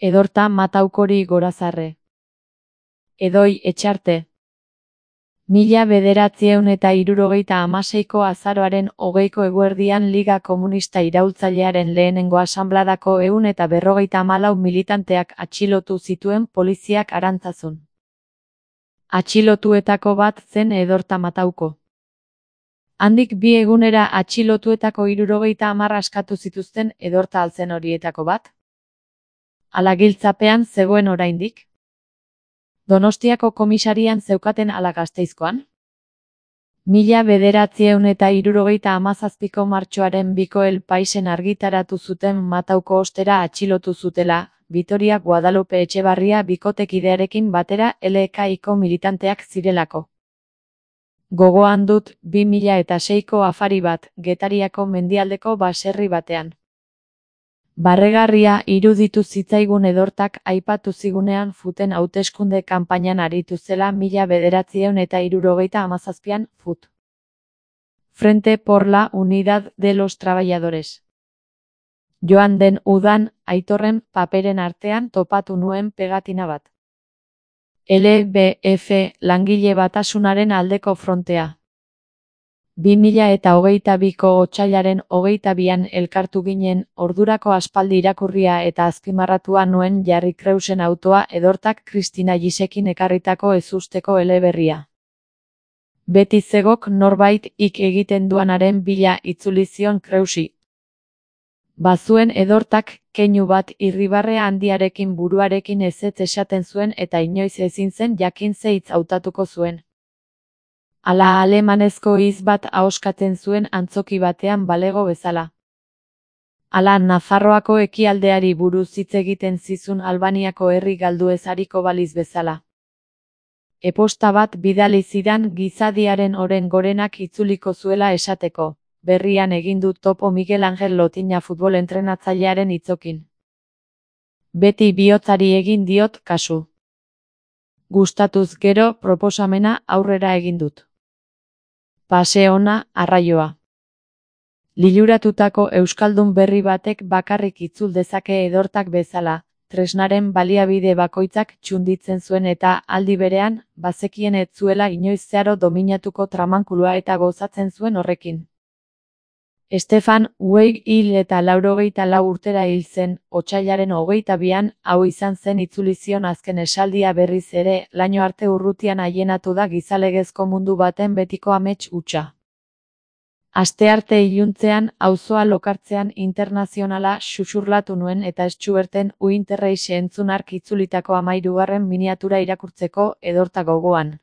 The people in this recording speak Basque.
Edorta Mataukori gorazarre. Edoi Etxarte. 1976ko azaroaren 20ko eguerdian Liga Komunista Iraultzailearen lehenengo asanbladako 154 militanteak atxilotu zituen poliziak Arantzazun. Atxilotuetako bat zen Edorta Matauko. Handik 2 egunera atxilotuetako 70 askatu zituzten Edorta altzen horietako bat. Ala giltzapean zegoen oraindik. Donostiako komisarian zeukaten ala Gasteizkoan? 1977ko martxoaren 2ko El Paisen argitaratu zuten Matauko ostera atxilotu zutela, Vitoria Guadalupe Etxebarria bikotekidearekin batera LKiko militanteak zirelako. Gogoan dut 2006ko afari bat, Getariako mendialdeko baserri batean. Barregarria iruditu zitzaigun Edortak aipatu zigunean futen hauteskunde kanpainan aritu zela 1977an fut. Frente por la Unidad de los Trabajadores. Joan den udan, Aitorren paperen artean topatu nuen pegatina bat. LBF, langile batasunaren aldeko frontea. 2022ko otsailaren 22an elkartu ginen, ordurako aspaldi irakurria eta azpimarratua nuen Jarri Kreusen autoa Edortak Kristina Gisekin ekarritako ezusteko eleberria. Beti zegok norbait ik egiten duanaren bila itzuli zion Kreusi. Bazuen Edortak keinu bat irribarre handiarekin buruarekin ezetz esaten zuen eta inoiz ezin zen jakin ze hitz hautatuko zuen. Ala alemanezko hitz bat ahoskatzen zuen antzoki batean balego bezala. Ala Nafarroako ekialdeari buruz hitz egiten zizun Albaniako herri galdu ez ariko baliz bezala. Eposta bat bidali zidan gizadiaren oren gorenak itzuliko zuela esateko, berrian egin du topo Miguel Angel Lotina futbol entrenatzailearen hitzokin. Beti bihotzari egin diot kasu. Gustatuz gero proposamena aurrera egin dut. Pase ona, arraioa. Liluratutako euskaldun berri batek bakarrik itzul dezake Edortak bezala, tresnaren baliabide bakoitzak txunditzen zuen eta aldi berean, bazekien ez zuela inoiz zeharo dominatuko tramankulua eta gozatzen zuen horrekin. Stefan Zweig hil eta 84 urtera hil zen, otsailaren 22an, hau izan zen itzuli zion azken esaldia berriz ere, laino arte urrutian aienatu da gizalegezko mundu baten betiko amets hutsa. Astearte iluntzean, auzoa lokartzean internazionala xuxurlatu nuen eta Stuarten Uinterreixe entzunark itzulitako 13. miniatura irakurtzeko Edorta gogoan.